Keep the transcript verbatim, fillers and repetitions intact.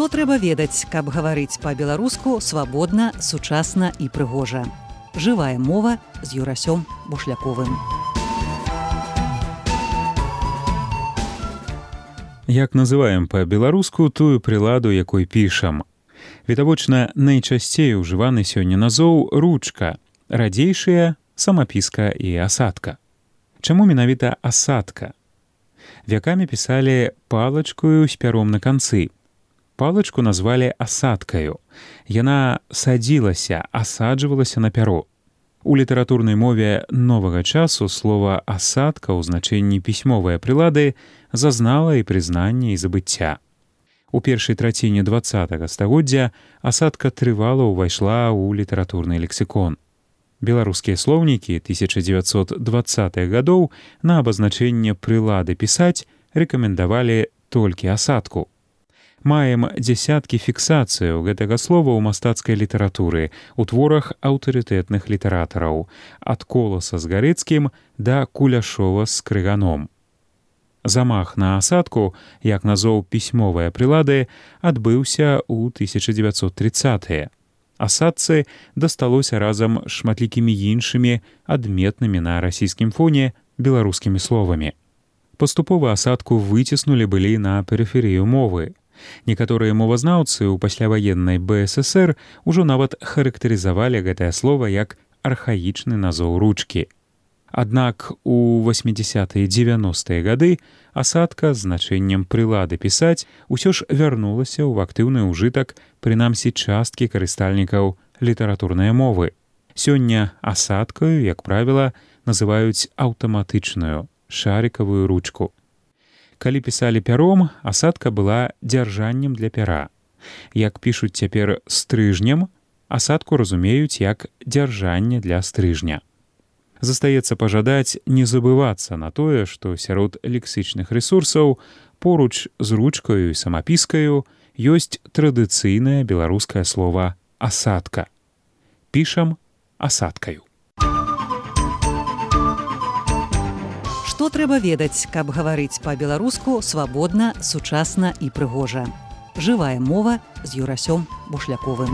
Што трэба ведаць, каб гаварыць па-беларуску свабодна, сучасна і прыгожа. Жывая мова з Юрасём Бушляковым. Як называем па-беларуску тую прыладу, якой пішам? Відавочна, найчасцей ужываны сёння назоў ручка, радзейшая самапіска і асадка. Чаму менавіта асадка? Вякамі пісалі палачкою з пяром на канцы. Палачку назвалі асадкаю. Яна садзілася, асаджвалася на пяро. У літаратурнай мове новага часу слова «асадка» ў значэнні пісьмовыя прылады зазнала і прызнанне, і забыцця. У першай траціне дваццатага стагоддзя асадка трывала ўвайшла ў літаратурны лексікон. Беларускія слоўнікі тысяча дзевяцьсот дваццатых гадоў на абазначэнне прылады пісаць рэкамендавалі толькі асадку. Маем дзясяткі фіксацыяў гэтага слова ў мастацкай літаратуры, у творах аўтарытэтных літаратараў, ад Коласа з Гарэцкім да Куляшова з Крыганом. Замах на асадку, як назоў пісьмовыя прылады, адбыўся ў тысяча дзевяцьсот трыццатыя. Асадцы дасталося разам з шматлікімі іншымі адметнымі на расійскім фоне беларускімі словамі. Паступова асадку выціснулі былі на перыферыю мовы. Некаторыя мовазнаўцы ў пасляваеннай бэ эс эсэр ужо нават характарызавалі гэтае слова як архаічны назоў ручкі. Аднак у восьмідзясятыя дзевяностыя гады асадка з значэннем прылады пісаць усё ж вярнулася ў актыўны ўжытак, прынамсі часткі карыстальнікаў літаратурнай мовы. Сёння асадкаю, як правіла, называюць аўтаматычную шарыкавую ручку. Калі пісалі пяром, асадка была дзяржаннем для пяра. Як пішуць цяпер стрыжнем, асадку разумеюць як дзяржанне для стрыжня. Застаецца пажадаць не забывацца на тое, што сярод лексічных рэсурсаў поруч з ручкаю і самапіскаю ёсць традыцыйнае беларускае слова «асадка». Пішам асадкаю. Што трэба ведаць, каб гаварыць па-беларуску свабодна, сучасна і прыгожа. Жывая мова з Юрасём Бушляковым.